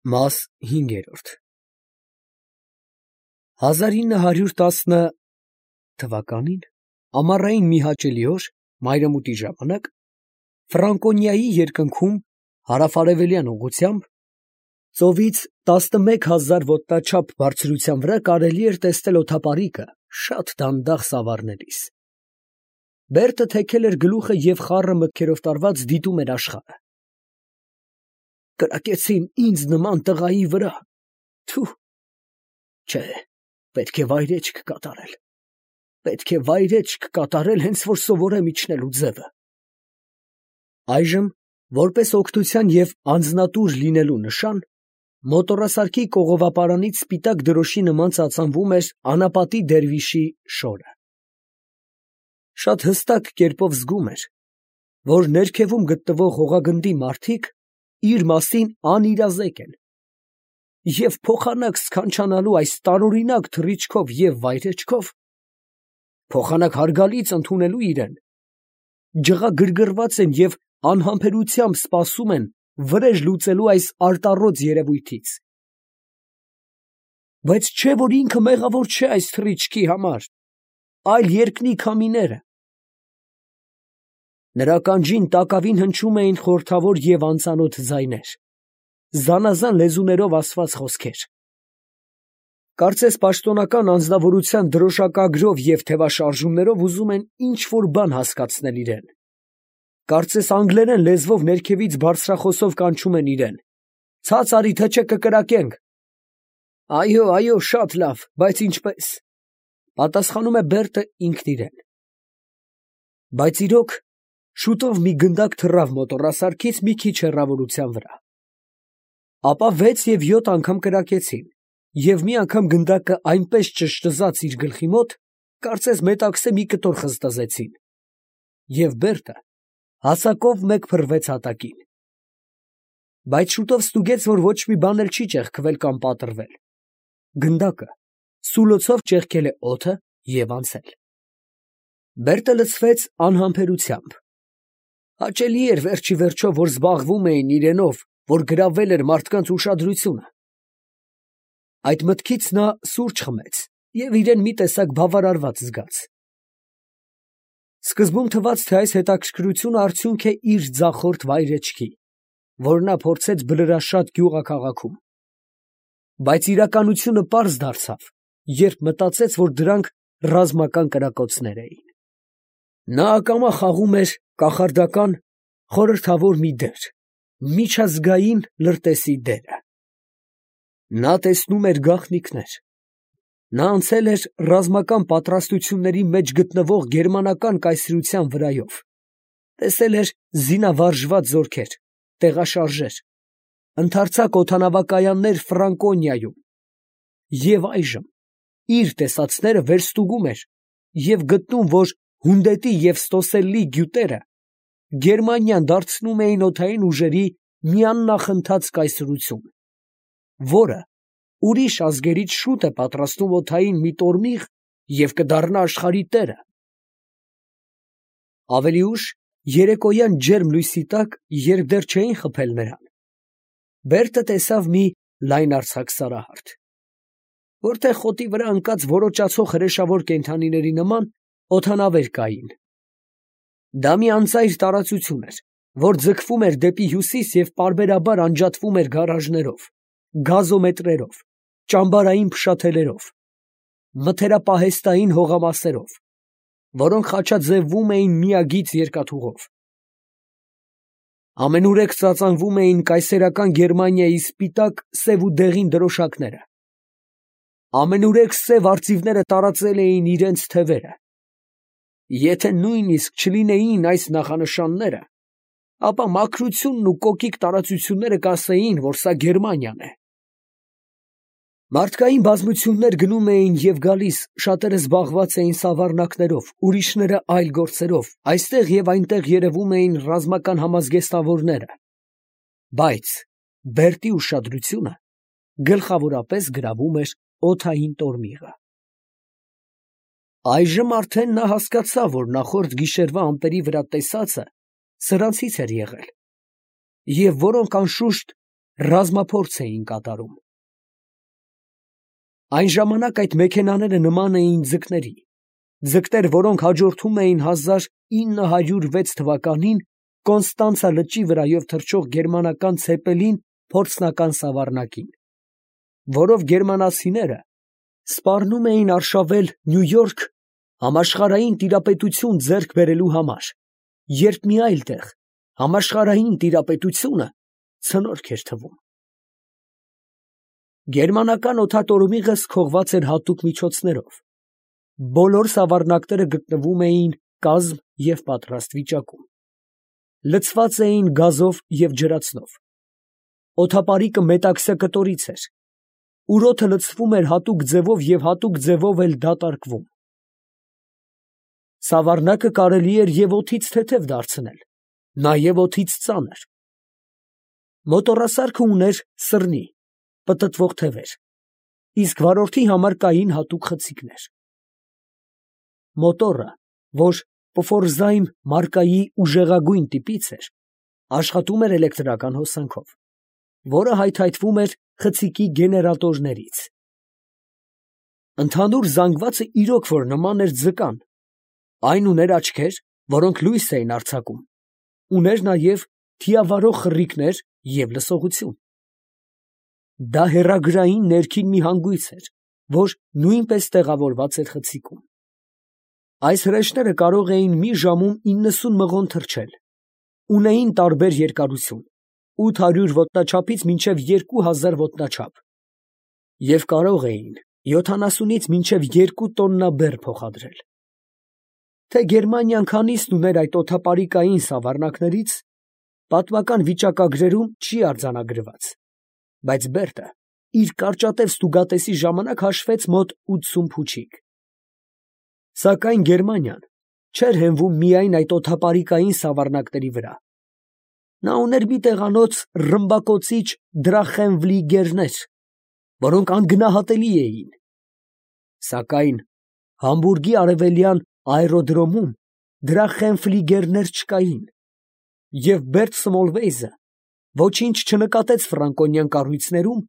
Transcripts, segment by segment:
Մաս 5 1910 թվականին ամառային մի հաճելի օր մայրամուտի ժամանակ Ֆրանկոնիայի երկնքում հարավ-արևելյան ուղղությամբ ծովից 11,000 ոտնաչափ բարձրության վրա կարելի էր տեսնել օդապարիկը շատ դանդաղ սավառնելիս։ Բերտը թեքել էր գլուխը և խառը մտքերով տարված դիտում էր աշխարհը։ Կրակեցին ինձ նման տղայի վրա, թու, չէ, պետք է վայրեջք կատարել, հենց որ սովորեմ իջնելու ձևը։ Այժմ, որպես օգնության և անձնատուր լինելու նշան, մոտոռասարքի կողովապարանից սպիտակ դրոշի նման ծածանվում էր անապատի դերվիշի շորը։ Շատ հստակ կերպով զգում էր, որ ներքևում գտնվող հողագնդի մարդիկ իր մասին անիրազեկ են, և փոխանակ սքանչանալու այս տարօրինակ թռիչքով և վայրեջքով, փոխանակ հարգալից ընդունելու իրեն, ջղագրգռված են և անհամբերությամբ սպասում են վրեժ լուծելու այս արտառոց երևույթից։ Բայց չէ՞ որ ինքը մեղավոր չէ այս թռիչքի համար, այլ երկնի քամիները։ Նրա ականջին տակավին հնչում էին խորհրդավոր և անծանոթ ձայներ, զանազան լեզուներով ասված խոսքեր։ Կարծես պաշտոնական անձնավորության դրոշակագրով և թևաշարժումներով ուզում են ինչ֊որ բան հասկացնել իրեն։ Կարծես անգլերեն լեզվով ներքևից բարձրախոսով կանչում են իրեն. «Ցած արի, թե չէ կկրակենք»։ «Այո, շատ լավ, բայց ինչպե՞ս», պատասխանում է Բերտը ինքն իրեն։ Բայց իրոք, շուտով մի գնդակ թռավ մոտոռասարքից մի քիչ հեռավորության վրա։ Ապա 6 և 7 անգամ կրակեցին, և մի անգամ գնդակը այնպես ճշտզաց իր գլխի մոտ, կարծես մետաքսե մի կտոր խզտզեցին, և Բերտը հասակով մեկ փռվեց հատակին։ Բայց շուտով ստուգեց, որ ոչ մի բան էլ չի ճեղքվել կամ պատռվել։ Գնդակը սուլոցով ճեղքել է օդը և անցել։ Բերտը լցվեց անհամբերությամբ։ Հաճելի էր վերջիվերջո, որ զբաղվում էին իրենով, որ գրավել էր մարդկանց ուշադրությունը։ Այդ մտքից նա սուրճ խմեց և իրեն մի տեսակ բավարարված զգաց։ Սկզբում թվաց, թե այս հետաքրքրությունը արդյունք է իր ձախորդ վայրեջքի, որ նա փորձեց Բլրաշատ գյուղաքաղաքում։ Բայց իրականությունը պարզ դարձավ, երբ մտածեց, որ դրանք ռազմական կրակոցներ էին։ Նա ակամա խաղում էր կախարդական խորհրդավոր մի դեր, միջազգային լրտեսի դերը։ Նա տեսնում էր գաղտնիքներ։ Նա անցել էր ռազմական պատրաստությունների մեջ գտնվող գերմանական կայսրության վրայով, տեսել էր զինավարժված զորքեր, տեղաշարժեր, ընդարձակ օդանավակայաններ Ֆրանկոնիայում, և այժմ իր տեսածները վերստուգում էր և գտնում, որ Հունդետի և Ստոսելլի գյուտերը Գերմանիան դարձնում էին օդային ուժերի մի աննախընթաց կայսրություն, որը ուրիշ ազգերից շուտ է պատրաստում օդային մի տորմիղ և կդառնա աշխարհի տերը։ Ավելի ուշ, երեկոյան ջերմ լույսի տակ, երբ դեռ չէին խփել նրան, Բերտը տեսավ մի լայնարձակ սարահարթ, որտեղ խոտի վրա ընկած որոճացող հրեշավոր կենդանիների նման օդանավեր կային։ Դա մի անծայր տարածություն էր, որ ձգվում էր դեպի հյուսիս և պարբերաբար անջատվում էր գարաժներով, գազոմետրերով, ճամբարային փշաթելերով, մթերապահեստային հողամասերով, որոնք խաչաձևվում էին միագիծ երկաթուղով։ Ամենուրեք ծածանվում էին կայսերական Գերմանիայի սպիտակ, սև ու դեղին դրոշակները։ Ամենուրեք սև արծիվները տարածել էին իրենց թևերը։ Եթե նույնիսկ չլինեին այս նախանշանները, ապա մաքրությունն ու կոկիկ տարածությունները կասեին, որ սա Գերմանիան է։ Մարդկային բազմություններ գնում էին և գալիս, շատերը զբաղված էին սավառնակներով, ուրիշները այլ գործերով, այստեղ և այնտեղ երևում էին ռազմական համազգեստավորները, բայց Բերտի ուշադրությունը գլխավորապես գրավում էր օդային տորմիղը։ Այժմ արդեն նա հասկացավ, որ նախորդ գիշերվա ամպերի վրա տեսածը սրանցից էր եղել, և որոնք անշուշտ ռազմափորձ էին կատարում։ Այն ժամանակ այդ մեքենաները նման էին ձկների, ձկներ, որոնք հաջորդում էին 1906 թվականին Կոնստանցա լճի վրայով թռչող գերմանական ցեպելին փորձնական սավառնակին, որով գերմանացիները սպառնում էին արշավել Նյու Յորք համաշխարհային տիրապետություն ձեռք բերելու համար, երբ մի այլ տեղ համաշխարհային տիրապետությունը ցնորք էր թվում։ Գերմանական օդատորմիղը սքողված էր հատուկ միջոցներով։ Բոլոր սավառնակները գտնվում էին կազմ և պատրաստ վիճակում։ Լցված էին գազով և ջրածնով։ Օդապարիկը մետաքսյա կտորից էր։ Ուրոթը լցվում էր հատուկ ձևով և հատուկ ձևով էլ դատարկվում։ Սավառնակը կարելի էր և օդից թեթև դարձնել, նաև օդից ծանր։ Մոտոռասարքը ուներ սռնի, պտտվող թևեր, իսկ վարորդի համար կային հատուկ խցիկներ։ Մոտոռը, որ Պֆորզայմ մարկայի ուժեղագույն տիպից էր, աշխատում էր էլեկտրական հոսանքով, որը հայթայթվում էր խցիկի գեներատորներից։ Ընդհանուր զանգվածը իրոք որ նման էր ձկան, այն ուներ աչքեր, որոնք լույս էին արձակում, ուներ նաև թիավարող խռիկներ և լսողություն։ Դա հեռագրային ներքին մի հանգույց էր, որ նույնպես տեղավորված էր խցիկում։ Այս հրեշները կարող էին մի ժամում 90 մղոն թռչել, ունեին տարբեր երկարություն, 800 ոտնաչափից մինչև 2000 ոտնաչափ, և կարող էին 70-ից մինչև 2 տոննա բեռ փոխադրել։ Թե Գերմանիան քանիսն ուներ այդ օդապարիկային սավառնակներից, պատմական վիճակագրերում չի արձանագրված, բայց Բերտը իր կարճատև ստուգատեսի ժամանակ հաշվեց մոտ 80 փուչիկ։ Սակայն Գերմանիան չէր հենվում միայն այդ օդապարիկային սավառնակների վրա։ Նա ուներ մի տեղանոց ռմբակոծիչ դրախենֆլիգերներ, որոնք անգնահատելի էին։ Սակայն Համբուրգի արևելյան աերոդրոմում դրախենֆլիգերներ չկային, և Բերտ Սմոլվեյզը ոչինչ չնկատեց ֆրանկոնյան կառույցներում,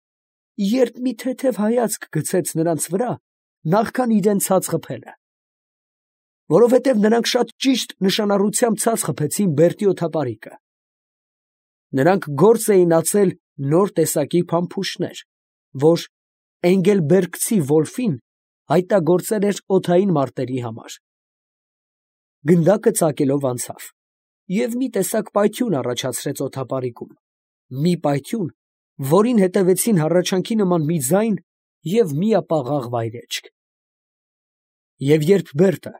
երբ մի թեթև հայացք գցեց նրանց վրա, նախքան իրան ցած խփելը, որովհետև նրանք շատ ճիշտ նշանառությամբ ցած խփեցին Բերտի օդապարիկը։ Նրանք գործ էին ածել նոր տեսակի փամփուշտներ, որ էնգելբերգցի Վոլֆին հայտնագործել էր օդային մարտերի համար։ Գնդակը ծակելով անցավ և մի տեսակ պայթյուն առաջացրեց օդապարիկում, մի պայթյուն, որին հետևեցին հառաչանքի նման մի ձայն և միապաղաղ վայրէջք։ Եվ երբ Բերտը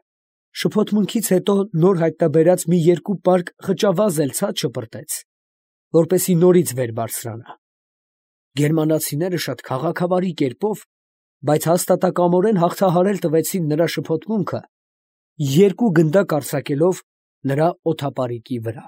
շփոթմունքից հետո նոր հայտնաբերած մի երկու պարկ խճավազ էլ ցած շպրտեց, որպեսզի նորից վեր բարձրանա, գերմանացիները շատ քաղաքավարի կերպով, բայց հաստատակամորեն հաղթահարել տվեցին նրա շփոթմունքը, երկու գնդակ արձակելով նրա օդապարիկի վրա։